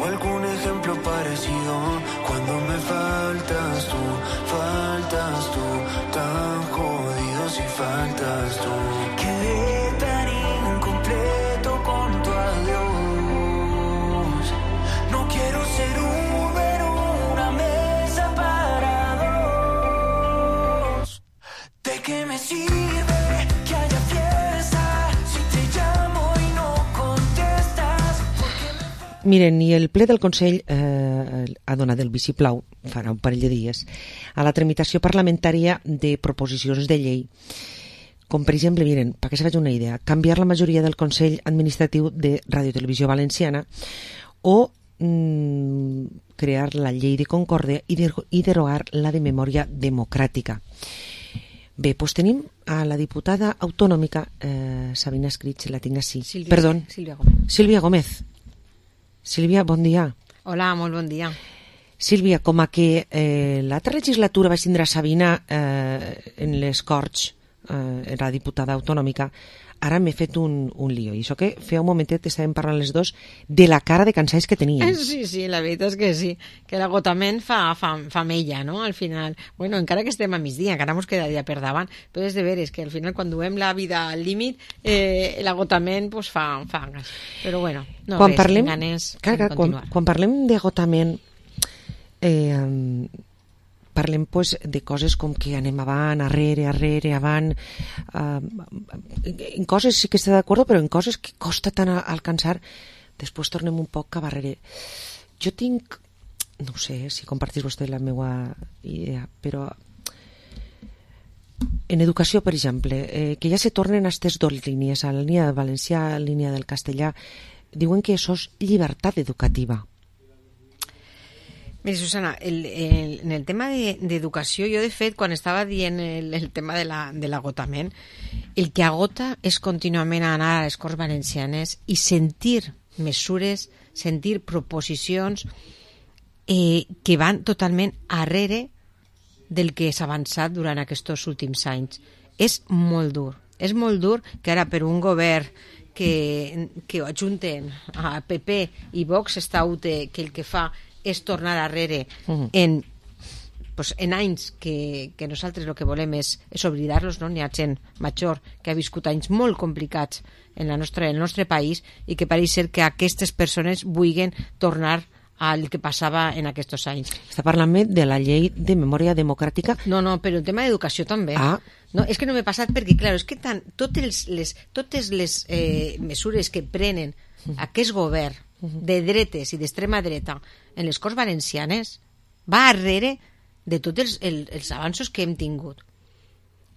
o algún ejemplo parecido. Cuando me faltas tú, tan jodido si faltas tú. Quedé tan incompleto con tu adiós. No quiero ser un número, una mesa para dos. ¿De qué me sirve que haya fiesta si te llamo y no contestas? Miren, i el ple del Consell ha donat el vistiplau, farà un parell de dies, a la tramitació parlamentària de proposicions de llei. Com, per exemple, miren, perquè se faci una idea, canviar la majoria del Consell Administratiu de Ràdio Televisió Valenciana o crear la llei de Concòrdia i derogar la de Memòria Democràtica. Bé, doncs tenim a la diputada autonòmica Sabina Escrig, la tinc així. Sílvia Gómez. Sílvia Gómez. Sílvia, bon dia. Hola, molt bon dia. Sílvia, com a que l'altra legislatura va tindre Sabina en les Corts, era diputada autonòmica, ara m'he fet un lío. I això que feia un momentet estàvem parlant les dos de la cara de cansaix que teníem. Sí, la veritat és que sí, que l'agotament fa mella, no?, al final. Bueno, encara que estem a migdia, encara ens queda dia per davant, però és de veres que al final quan duem la vida al límit, l'agotament pues, fa gas. Però bueno, no quan res, parlem, ganes continuar. Quan parlem d'agotament, parlem pues, de coses com que anem avant, arrere, avant, en coses sí que està d'acord, però en coses que costa tant alcançar, després tornem un poc cap arrere. Jo tinc, no sé si compartís vostè la meva idea, però en educació, per exemple, que ja se tornen a aquestes dues línies, a la línia del valencià, a la línia del castellà, diuen que això és llibertat educativa. Mira, Susana, en el tema d'educació, jo de fet, quan estava dient el tema de l'agotament, el que agota és contínuament anar a les Corts Valencianes i sentir mesures, sentir proposicions que van totalment arrere del que s'ha avançat durant aquests últims anys. És molt dur que ara per un govern que ho ajunten a PP i Vox està que el que fa és tornar arrere en anys que nosaltres el que volem és oblidar-los, no? N'hi ha gent major que ha viscut anys molt complicats en el nostre país i que pareix ser que aquestes persones vulguin tornar al que passava en aquests anys. Està parlant de la llei de memòria democràtica? No, però el tema d'educació també. No, és que no m'he passat perquè, clar, és que totes les mesures que prenen aquest govern de dretes i d'extrema dreta en les Corts Valencianes va darrere de tots els avanços que hem tingut.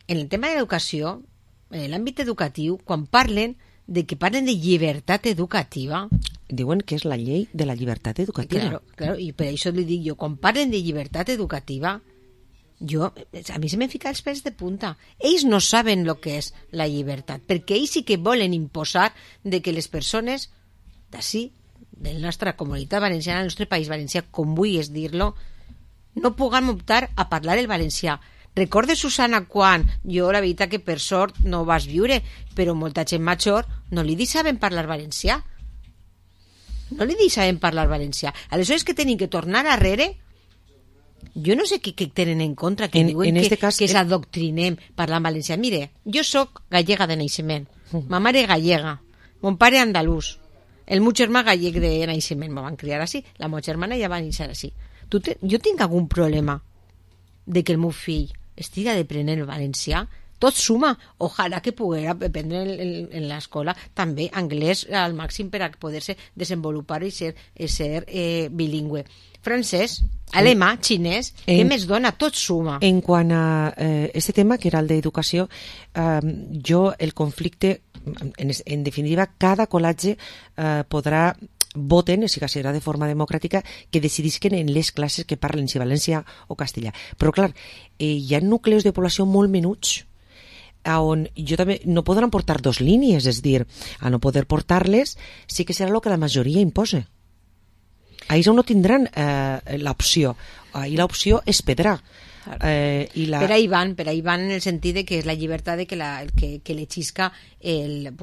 En el tema de l'educació, en l'àmbit educatiu, quan parlen de llibertat educativa... Diuen que és la llei de la llibertat educativa. Claro, i per això li dic jo, quan parlen de llibertat educativa, a mi se m'han ficat els pèls de punta. Ells no saben el que és la llibertat, perquè ells sí que volen imposar de que les persones d'ací, de la nostra comunitat valenciana, del nostre país valencià, com vulguis dir-lo, no puguem optar a parlar el valencià. Recordes, Susana, quan jo, la veritat que per sort no ho vas viure, però molta gent major no li deixaven parlar valencià. No li deixaven parlar valencià. Aleshores que tenen que tornar arrere, jo no sé què tenen en contra, que diuen que s'adoctrinem parlant valencià. Mire, jo sóc gallega de naixement, ma mare gallega, mon pare andalús, el meu germà gallec de naixement, me van criar així, la meva germana ja va néixer així. Jo tinc algun problema de que el meu fill estiga d'aprenent el valencià? Tot suma. Ojalà que poguera aprendre en l'escola també anglès al màxim per a poder-se desenvolupar i ser bilingüe. Francès, alemà, xinès, què més dona? Tot suma. En quant a aquest tema, que era el d'educació, el conflicte, en definitiva, cada col·legi podrà voten, si que serà de forma democràtica, que decidisquen en les classes que parlen, si valencià o castellà. Però, clar, hi ha nucleus de població molt menuts on jo també no podran portar dues línies, és dir, a no poder portar-les sí que serà el que la majoria imposa. Ahir no tindran l'opció. Ahir l'opció és pedrar. Per ahí van en el sentit de que és la llibertat de que le xisca el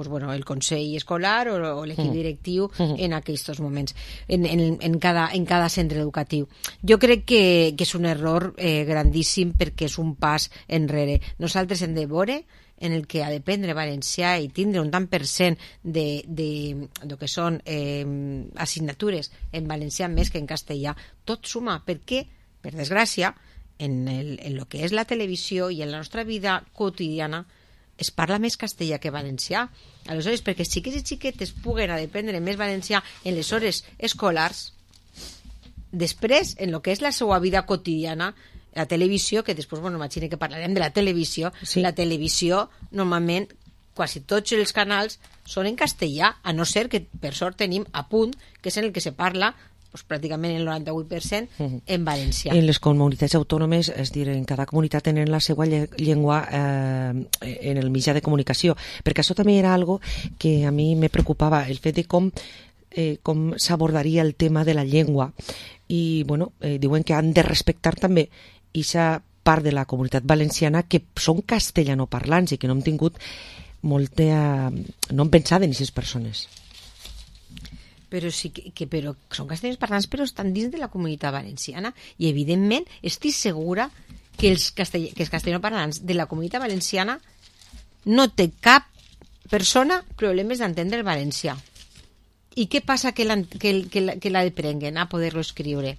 consell escolar o l'equip directiu en aquests moments, en cada centre educatiu. Jo crec que és un error grandíssim, perquè és un pas enrere. Nosaltres hem de veure en el que ha de prendre valencià i tindre un tant per cent de que són assignatures en valencià més que en castellà. Tot suma, perquè, per desgràcia, en el que és la televisió i en la nostra vida quotidiana es parla més castellà que valencià. Aleshores, perquè xiquets i xiquetes puguen aprendre més valencià en les hores escolars, després, en el que és la seva vida quotidiana, la televisió, que després, imagina que parlarem de la televisió, sí. La televisió, normalment, quasi tots els canals són en castellà, a no ser que, per sort, tenim a Punt, que és en el que se parla pràcticament el 98% en valencià. En les comunitats autònomes, és dir, en cada comunitat tenen la seva llengua en el mitjà de comunicació, perquè això també era algo que a mi me preocupava, el fet de com s'abordaria el tema de la llengua, i diuen que han de respectar també aquesta part de la comunitat valenciana que són castellanoparlants i que no hem tingut no hem pensat en aquestes persones. Però sí però són castellanoparlants, però estan dins de la comunitat valenciana, i evidentment estic segura que els castellanoparlants de la comunitat valenciana no té cap persona problemes d'entendre el valencià. I què passa que l'aprenguen a poder-lo escriure?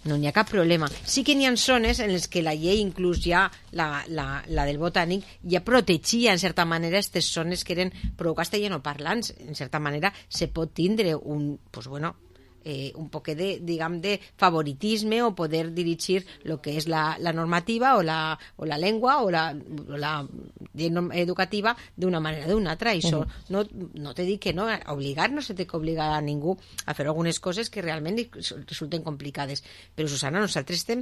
No n'hi ha cap problema. Sí que n'hi ha zones en les que la llei, inclús ja la del botànic, ja protegia en certa manera aquestes zones que eren prou castellanoparlants. En certa manera se pot tindre un poc de favoritisme o poder dirigir el que és la normativa o la llengua o la llei educativa d'una manera o d'una altra. Això no te dic que no, obligar no se té que obligar a ningú a fer algunes coses que realment resulten complicades. Però, Susana, nosaltres estem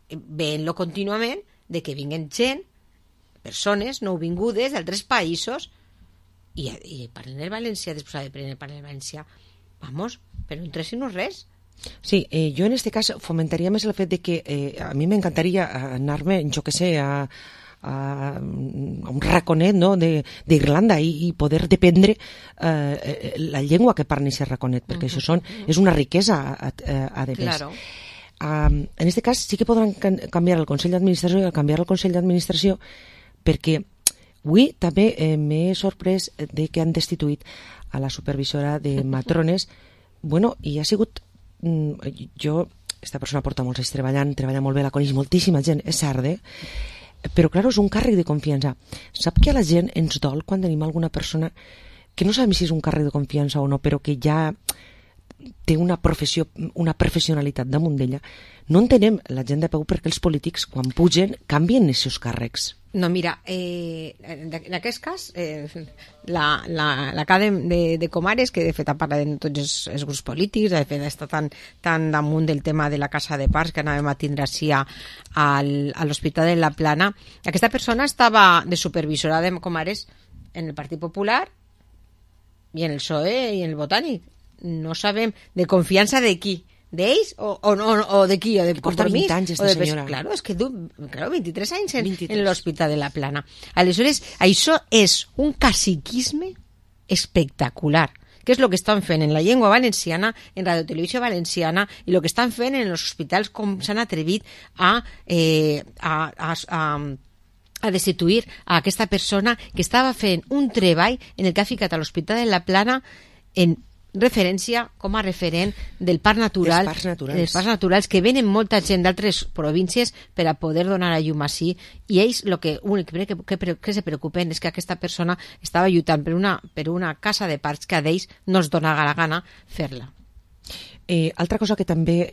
veient-lo contínuament de que vinguen gent, persones nouvingudes d'altres països i parlen el valencià, després de parlar el valencià. Però no entressin res. Sí, jo en este cas fomentaria més el fet de que a mi m'encantaria anar-me, jo que sé, a un raconet, no?, d'Irlanda i poder dependre la llengua que parla aquest raconet, perquè això és una riquesa a de més. Claro. En aquest cas sí que podran canviar el Consell d'Administració, i al canviar el Consell d'Administració, perquè avui també m'he sorprès de que han destituït a la supervisora de matrones, i ha sigut, aquesta persona porta molts anys treballa molt bé, la coneix moltíssima gent, és cert, però clar, és un càrrec de confiança. Sap que a la gent ens dol quan tenim alguna persona que no sabem si és un càrrec de confiança o no, però que ja té una professionalitat damunt d'ella. No entenem la gent de peu perquè els polítics, quan pugen, canvien els seus càrrecs. No, mira, en aquest cas, la CADE de Comares, que de fet ha parlat de tots els grups polítics, de fet està tan damunt del tema de la casa de parts que anàvem a tindre així a l'Hospital de la Plana, aquesta persona estava de supervisora de Comares en el Partit Popular i en el PSOE i en el Botànic. No sabem de confiança de qui, d'ells o de qui, o de Compromís. Porta 20 anys esta senyora. Claro, és que 23 anys en l'Hospital de la Plana. Aleshores, això és un caciquisme espectacular, que és el que estan fent en la llengua valenciana, en Radio Televisió Valenciana, i el que estan fent en els hospitals, com s'han atrevit a destituir a aquesta persona que estava fent un treball en el que ha ficat a l'Hospital de la Plana en referència com a referent del parc natural, dels parcs naturals, que venen molta gent d'altres províncies per a poder donar a llum així, i ells l'únic que se preocupen és que aquesta persona estava lluitant per una casa de parcs que a ells no es dona la gana fer-la. Altra cosa que també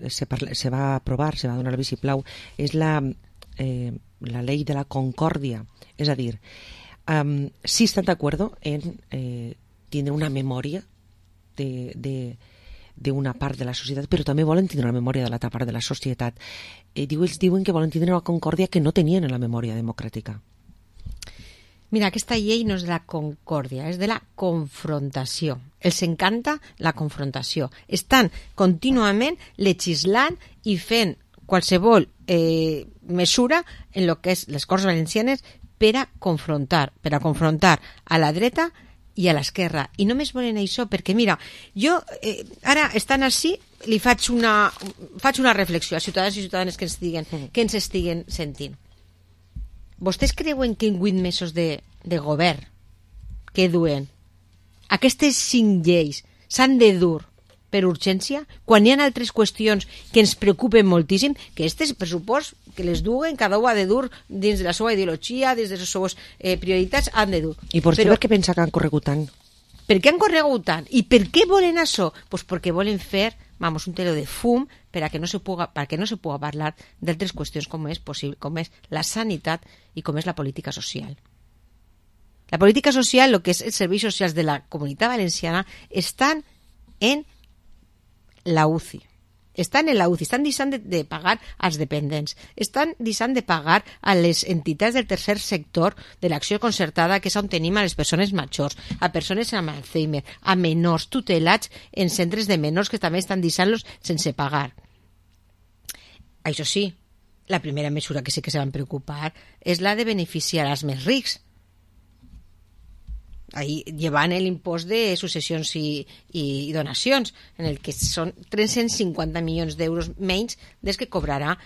se va aprovar, se va donar el vistiplau, és la llei de la concòrdia. És a dir, sí estan d'acord en tindre una memòria d'una part de la societat, però també volen tindre una memòria de l'altra part de la societat. Ells diuen que volen tindre una concòrdia que no tenien en la memòria democràtica. Mira, aquesta llei no és de la concòrdia, és de la confrontació. Els encanta la confrontació. Estan contínuament legislant i fent qualsevol mesura en el que és les Corts Valencianes per a confrontar a la dreta i a l'esquerra. I només volen això, perquè mira, jo ara estan així, li faig una reflexió a ciutadans i ciutadanes que ens estiguen sentint. Vostès creuen que en 8 mesos de govern que duen aquestes 5 lleis s'han de dur per urgència, quan hi ha altres qüestions que ens preocupen moltíssim, que aquestes pressupost que les duen, cada un ha de dur dins de la seva ideologia, dins de les seves prioritats, han de dur. I per què pensa que han corregut tant? Per què han corregut tant? I per què volen això? Pues perquè volen fer un telo de fum per a que no se puga parlar d'altres qüestions com és la sanitat i com és la política social. La política social, el que és els serveis socials de la Comunitat Valenciana, estan en la UCI. Estan deixant de pagar als dependents, estan deixant de pagar a les entitats del tercer sector de l'acció concertada, que és on tenim a les persones majors, a persones amb Alzheimer, a menors tutelats en centres de menors que també estan deixant-los sense pagar. Això sí, la primera mesura que sí que se van preocupar és la de beneficiar als més rics. Ahí llevan el impost de successions i donacions, en el que són 350 milions d'euros menys des que cobrarà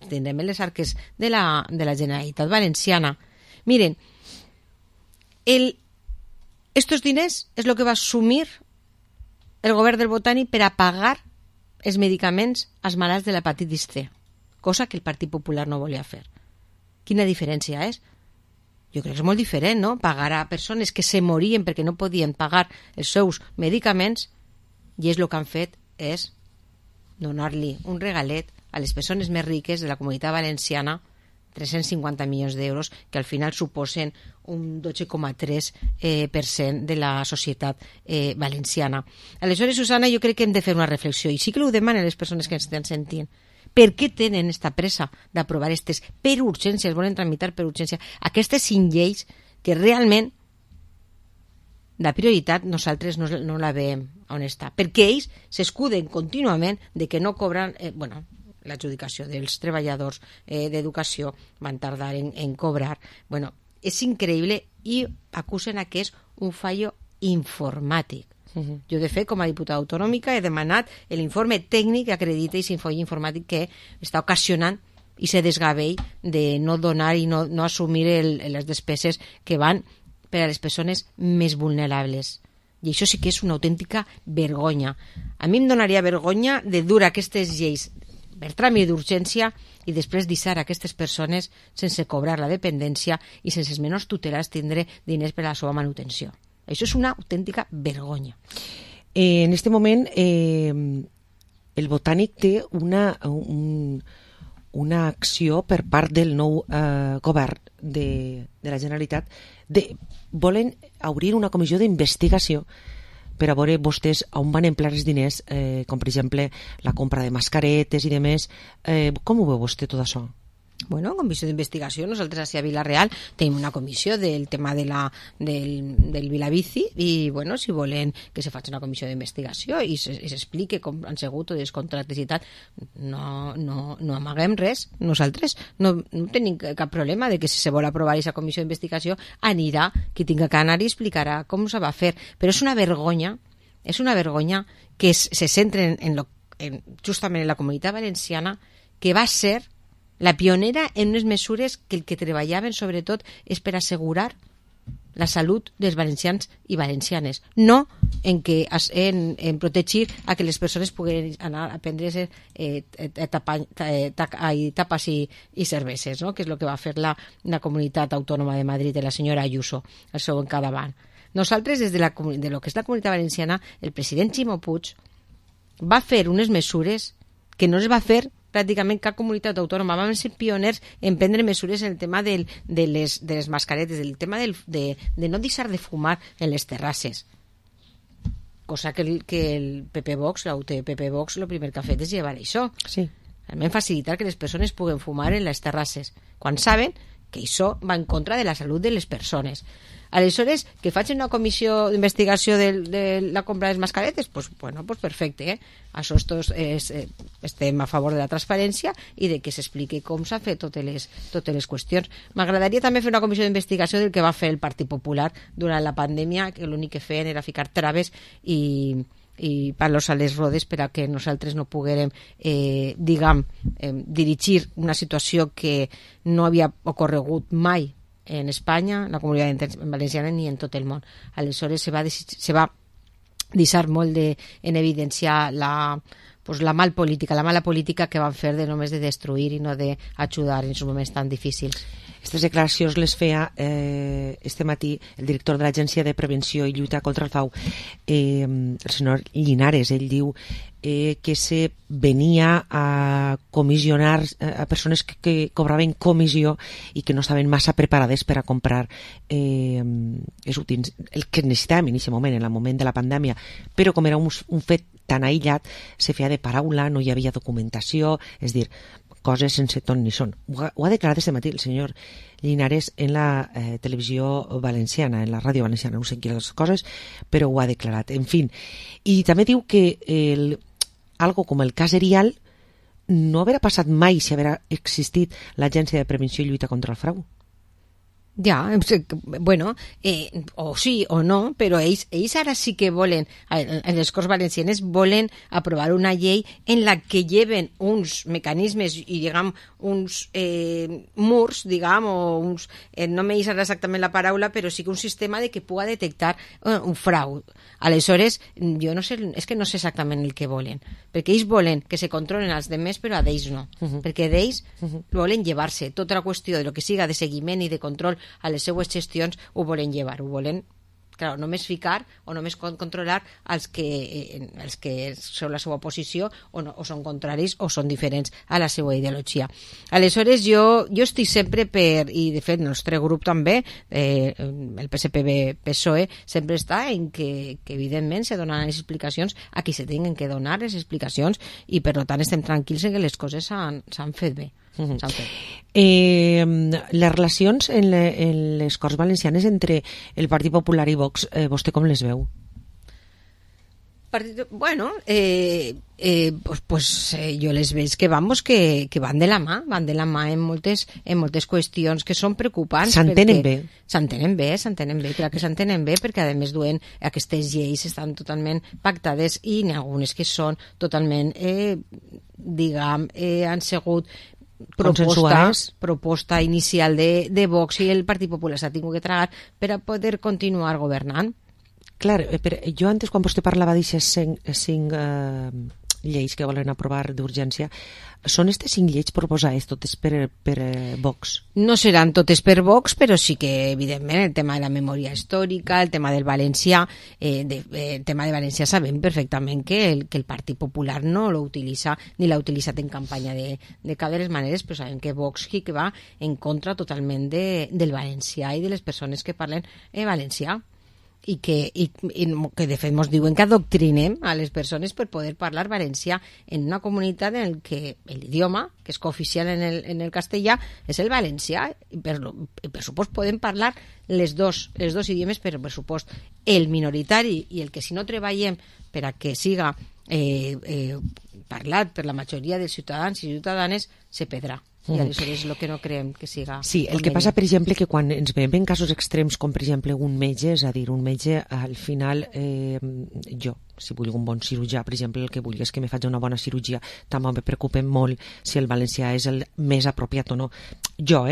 tindrem les arques de la Generalitat Valenciana. Miren, estos diners és el que va assumir el govern del Botànic per a pagar els medicaments als malalts de l'hepatitis C, cosa que el Partit Popular no volia fer. Quina diferència és? Jo crec que és molt diferent, no? Pagar a persones que se morien perquè no podien pagar els seus medicaments, i és el que han fet és donar-li un regalet a les persones més riques de la Comunitat Valenciana, 350 milions d'euros, que al final suposen un 12,3% de la societat valenciana. Aleshores, Susana, jo crec que hem de fer una reflexió, i sí que ho demanen les persones que ens estan sentint. Per què tenen esta pressa d'aprovar aquestes per urgència, es volen tramitar per urgència, aquestes 5 lleis que realment la prioritat nosaltres no la veiem on està? Perquè ells s'escuden contínuament de que no cobren, l'adjudicació dels treballadors d'educació van tardar en cobrar. És increïble, i acusen que és un fallo informàtic. Jo, de fet, com a diputada autonòmica, he demanat l'informe tècnic que acredita aquest fallo informàtic que està ocasionant i se desgavell de no donar i no assumir les despeses que van per a les persones més vulnerables. I això sí que és una autèntica vergonya. A mi em donaria vergonya de dur aquestes lleis per tràmit d'urgència i després deixar aquestes persones sense cobrar la dependència i sense els menors tutelats tindre diners per a la seva manutenció. Això és una autèntica vergonya. En este moment, el Botànic té una acció per part del nou govern de la Generalitat. Volen obrir una comissió d'investigació per a veure vostès on van emplear els diners, com per exemple la compra de mascaretes i demés. Com ho veu vostè tot això? Comissió d'investigació. Nosaltres a Vila-real tenim una comissió del tema del Vilabici i, si volen que se faci una comissió d'investigació i s'explique com han sigut els contractes i tal, no amaguem res. Nosaltres no tenim cap problema de que si se vol aprovar aquesta comissió d'investigació anirà, qui tinga que anar i explicarà com se va fer. Però és una vergonya que se centren justament en la Comunitat Valenciana, que va ser la pionera en unes mesures que el que treballaven sobretot és per assegurar la salut dels valencians i valencianes, no en protegir a que les persones puguen anar a prendre tapes i cerveses, no? Que és el que va fer la Comunitat Autònoma de Madrid de la senyora Ayuso al seu encadavant. Nosaltres, des de lo que és la Comunitat Valenciana, el president Ximo Puig va fer unes mesures que no es va fer pràcticament cap comunitat autònoma. Vam ser pioners en prendre mesures en el tema de les mascaretes, el tema de no deixar de fumar en les terrasses, cosa que el PP Vox, la UTP Vox, el primer que ha fet és llevar això. Sí. Realment facilitar que les persones puguen fumar en les terrasses, quan saben que això va en contra de la salut de les persones. Aleshores, que facin una comissió d'investigació de la compra de les mascaretes, pues perfecte, Això estem a favor de la transparència i de que s'expliqui com s'ha fet totes les qüestions. M'agradaria també fer una comissió d'investigació del que va fer el Partit Popular durant la pandèmia, que l'únic que feien era ficar traves i palos a les rodes per a que nosaltres no poguérem dirigir una situació que no havia ocorregut mai en Espanya, en la Comunitat Valenciana ni en tot el món. Aleshores se va deixar molt en evidenciar la mala política que van fer de només de destruir i no d'ajudar en aquests moments tan difícils. Aquestes declaracions les feia este matí el director de l'Agència de Prevenció i Lluita contra el Frau, el senyor Llinares. Ell diu que se venia a comissionar a persones que cobraven comissió i que no estaven massa preparades per a comprar el que necessitàvem en aquest moment, en el moment de la pandèmia, però com era un fet tan aïllat, se feia de paraula, no hi havia documentació, és dir, coses sense ton ni son. Ho ha declarat este matí el senyor Llinares en la televisió valenciana, en la ràdio valenciana, no sé quines coses, però ho ha declarat. En fi, i també diu que algo com el cas Erial no haurà passat mai si haurà existit l'Agència de Prevenció i Lluita contra el Frau. Ja, bueno, o sí o no, però ells ara sí que volen, en les Corts Valencianes volen aprovar una llei en la que lleven uns mecanismes i, diguem, uns murs, diguem, o uns, no me deixarà exactament la paraula, però sí que un sistema de que puga detectar un frau. Aleshores, jo no sé, és que no sé exactament el que volen, perquè ells volen que se controlen els demés, però a d'ells no, perquè d'ells volen llevar-se tota la qüestió de lo que siga de seguiment i de control a les seues gestions, ho volen llevar, ho volen, clar, només ficar o només controlar els que són la seva posició o són contraris o són diferents a la seva ideologia. Aleshores, jo estic sempre i de fet el nostre grup també, el PSPB-PSOE, sempre està en que evidentment se donen les explicacions a qui se tinguin que donar les explicacions i per tant estem tranquils en que les coses s'han fet bé. Les relacions en les Corts Valencianes entre el Partit Popular i Vox, vostè com les veu? Bueno, jo les veig que van de la mà en moltes qüestions que són preocupants. S'entenen bé. S'entenen bé, clar que s'entenen bé, perquè a més duen aquestes lleis estan totalment pactades i n'hi ha algunes que són totalment, han sigut proposta inicial de Vox i el Partit Popular s'ha tingut que tragar per a poder continuar governant. Clar, jo antes quan vostè parlava d'aixes 5 lleis que volen aprovar d'urgència, són aquestes 5 lleis proposades totes per Vox? No seran totes per Vox, però sí que evidentment el tema de la memòria històrica, el tema del valencià, el tema de València sabem perfectament que el Partit Popular no lo utilitza ni l'ha utilitzat en campanya de cap de les maneres, però sabem que Vox que va en contra totalment del valencià i de les persones que parlen valencià. I que de fet ens diuen que adoctrinem a les persones per poder parlar valencià en una comunitat en què l'idioma, que és cooficial en el castellà, és el valencià, i per supost podem parlar els dos idiomes, però per supost el minoritari i el que si no treballem per a que siga parlat per la majoria dels ciutadans i ciutadanes se perdrà. I aleshores és el que no creiem que siga... Sí, el que passa, per exemple, que quan ens veiem en casos extrems, com per exemple un metge, és a dir, un metge, al final, jo, si vull un bon cirurgià, per exemple, el que vull és que me faci una bona cirurgia, també me preocupa molt si el valencià és el més apropiat o no. Jo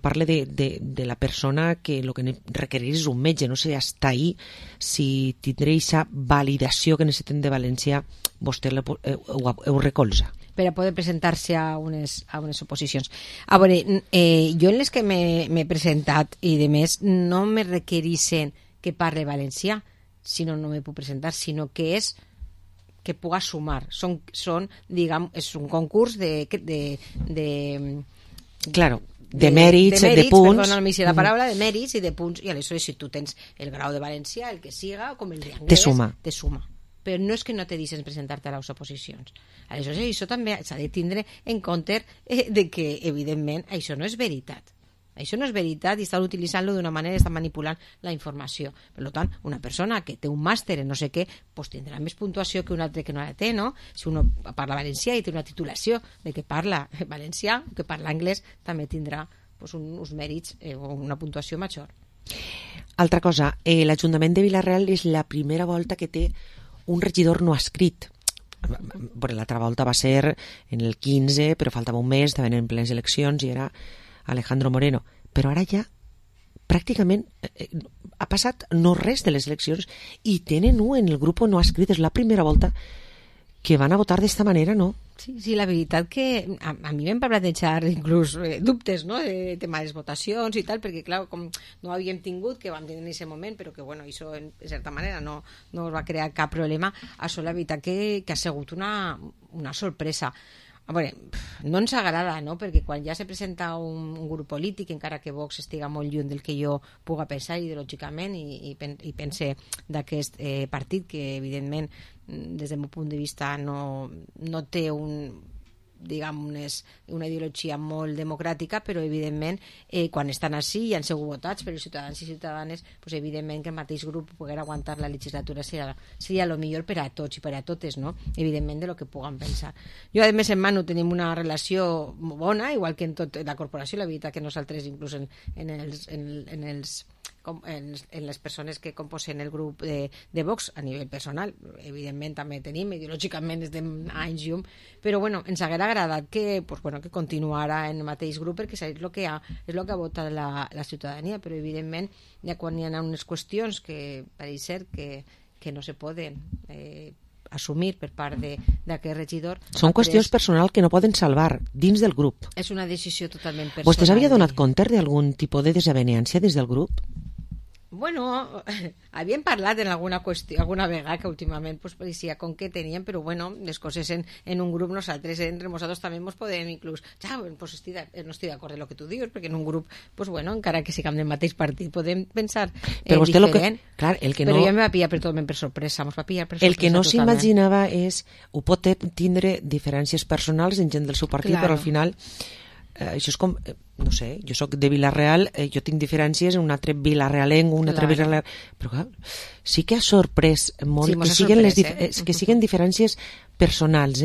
parlo de la persona que el que requereix és un metge, no sé, hasta ahí, si tindré aquesta validació que necessiten de valencià, vostè ho recolza per a poder presentar-se a unes oposicions. A veure, jo en les que m'he presentat i de més no me requereixen que parle valencià, sinó no me puc presentar, sinó que és que puga sumar. Diguem, és un concurs Claro, de mèrits, de punts. Perdona, no m'hi sé la paraula, de mèrits i de punts, i aleshores si tu tens el grau de valencià, el que siga, com el d'anglès, te suma. però no és que no te deixen presentar-te a les oposicions. Aleshores, això també s'ha de tindre en compte de que, evidentment, això no és veritat. Això no és veritat i estan utilitzant-lo d'una manera, estan manipulant la informació. Per tant, una persona que té un màster en no sé què, pues tindrà més puntuació que un altre que no la té, no? Si uno parla valencià i té una titulació de que parla valencià, que parla anglès, també tindrà pues, uns mèrits o una puntuació major. Altra cosa, l'Ajuntament de Vila-real és la primera volta que té un regidor no escrit. L'altra volta va ser en el 15, però faltava un mes, estaven en plenes eleccions i era Alejandro Moreno, però ara ja pràcticament ha passat no res de les eleccions i tenen un en el grup no escrit, és la primera volta que van a votar d'esta manera, no? Sí, la veritat que a mi m'hem plantejat inclús dubtes, no?, de tema de les votacions i tal, perquè clar, com no havíem tingut, que vam tenir en aquest moment, però que bueno, això en certa manera no va crear cap problema, això la veritat que ha sigut una sorpresa. A veure, no ens agrada, no?, perquè quan ja se presenta un grup polític, encara que Vox estiga molt lluny del que jo puga pensar ideològicament i pense d'aquest partit, que evidentment des del meu punt de vista no té una ideologia molt democràtica, però evidentment quan estan així i han sigut votats per els ciutadans i ciutadanes, pues, evidentment que el mateix grup poder aguantar la legislatura seria el millor per a tots i per a totes, no? Evidentment de lo que puguen pensar. Jo a més en mano tenim una relació bona, igual que en tot la corporació, la veritat que nosaltres inclús en les persones que composen el grup de Vox a nivell personal, evidentment també tenim, ideològicament estem anys llum, però bueno, ens haguera agradat que continuara en el mateix grup perquè és el que ha votat la ciutadania, però evidentment ja quan hi ha unes qüestions que pareix ser que no se poden assumir per part d'aquest regidor. Són qüestions personals que no poden salvar dins del grup. És una decisió totalment personal. Vostè s'havia donat compte d'algun tipus de desavenència des del grup? Bueno, havíem parlat en alguna qüestió, alguna vegada que últimament pues, pareixia com que teníem, però bueno, les coses en un grup nosaltres, entre nosaltres també ens podem inclús, no estic d'acord amb el que tu dius, perquè en un grup, pues bueno, encara que siguem del mateix partit, podem pensar diferent. Però ja em va pillar totalment per sorpresa, el que no s'imaginava és, ho pot tindre diferències personals en gent del seu partit, però al final això és com, no sé, jo soc de Vila-real, jo tinc diferències en un altre vilarealenc, un altre vilarealenc, però clar, sí que ha sorprès molt que siguin diferències personals,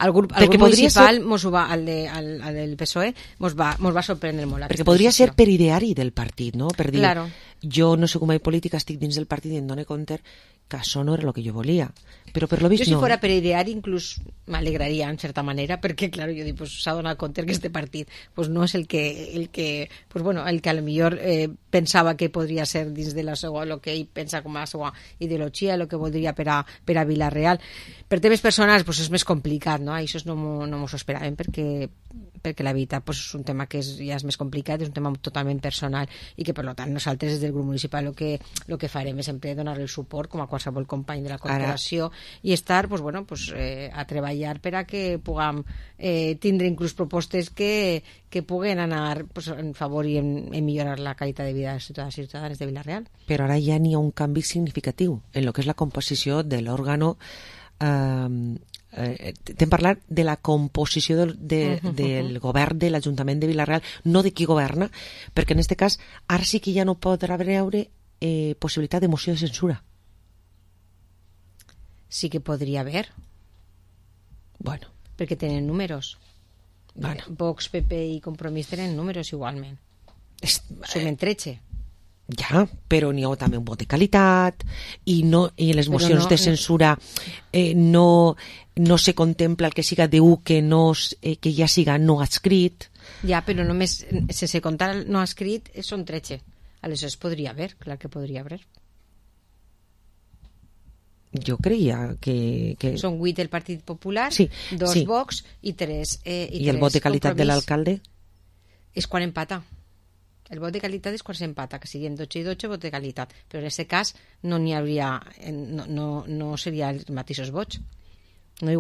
El grup municipal, el del PSOE, mos va sorprendre molt. Perquè podria ser per ideari del partit, no? Per dir, jo no sé com hi política, estic dins del partit i em dono compte que això no era el que jo volia. Però per lo vist jo si fora per ideari inclús m'alegraria en certa manera, perquè clar, jo dic, s'ha donat compte que este partit no és el que a lo millor pensava que podria ser dins de la seva, el que ell pensa com a seva ideologia, el que voldria per a Vila-real. Per temes personals és més complicat, no? Això no m'ho esperàvem perquè la veritat és un tema que ja és més complicat, és un tema totalment personal i que per tant nosaltres des del grup municipal el que farem és sempre donar el suport com a qualsevol company de la corporació i estar a treballar per a que puguem tindre inclús propostes que puguen anar en favor i en millorar la qualitat de vida dels ciutadans i ciutadanes de Vila-real. Però ara ja n'hi ha un canvi significatiu en el que és la composició de l'òrgano. T'hem parlat de la composició del govern de l'Ajuntament de Vila-real, no de qui governa, perquè en aquest cas ara sí que ja no podrà haver possibilitat de moció de censura. Sí que podria haver. Bueno. Perquè tenen números. Vox, PP i Compromís tenen números igualment. Sumen 13. Ja, però n'hi ha també un vot de qualitat i les mocions de censura no se contempla el que siga d'1 que ja siga no adscrit. Ja, però només sense comptar el no adscrit són 13. Aleshores podria haver, clar que podria haver. Jo creia que... Són 8 del Partit Popular, 2 Vox i 3 I el vot de qualitat de l'alcalde? És quan empata. El vot de qualitat és quan s'empata, que siguin 12 i 12 vot de qualitat, però en aquest cas no n'hi hauria, no seria els mateixos vots, no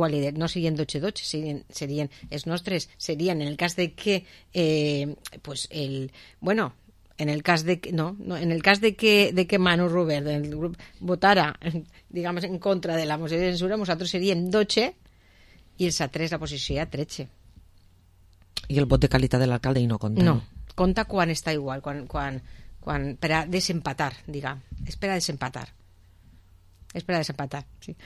serien 12 i 12, serien els nostres, serien en el cas de que en el cas de que, no, en el cas de que Manu Robert del grup votara, digamos, en contra de la moció de censura, nosaltres seríem 12 i els altres la posició ja 13. I el vot de qualitat de l'alcalde i no compta. No, compta quan està igual, quan per a desempatar, diguem. És per a desempatar. Sí.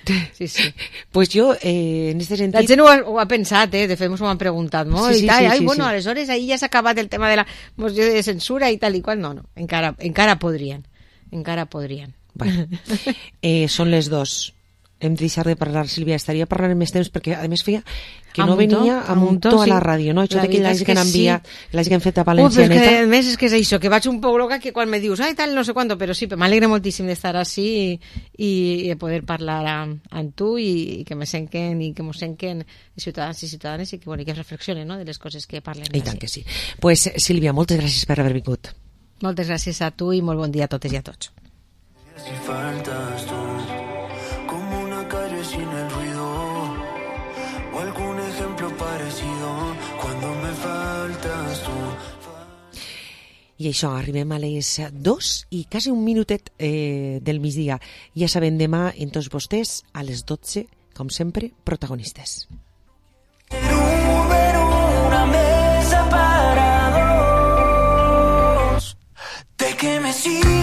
Pues jo, en este sentit... La gent ho ha pensat, de fet, ens ho han preguntat molt i tal. Bueno, aleshores ahir ja s'ha acabat el tema de la moció de censura i tal i qual. No, encara podrien. Bueno, són les 2. Hem de deixar de parlar, Sílvia. Estaria parlant més temps perquè, a més, feia que no venia a Muntó a la ràdio, no? Això que l'hagi que han enviat, l'hagi que han fet a Valencianeta. Però a més és que és això, que vaig un poc loca que quan me dius, tal, no sé quanto, però sí, m'alegre moltíssim d'estar així i de poder parlar amb tu i que me senquen i que mos senquen ciutadans i ciutadanes i que reflexionen, no?, de les coses que parlen. I tant que sí. Pues, Sílvia, moltes gràcies per haver vingut. Moltes gràcies a tu i molt bon dia a totes i a tots. Si faltas tú, como una calle sin el ruido, o algún ejemplo parecido, cuando me faltas tú. I això, arribem a les 2 i quasi un minutet del migdia. Ja sabem, demà en tots vostès a les 12, com sempre, protagonistes. Una mesa para dos. ¿De qué me sirve?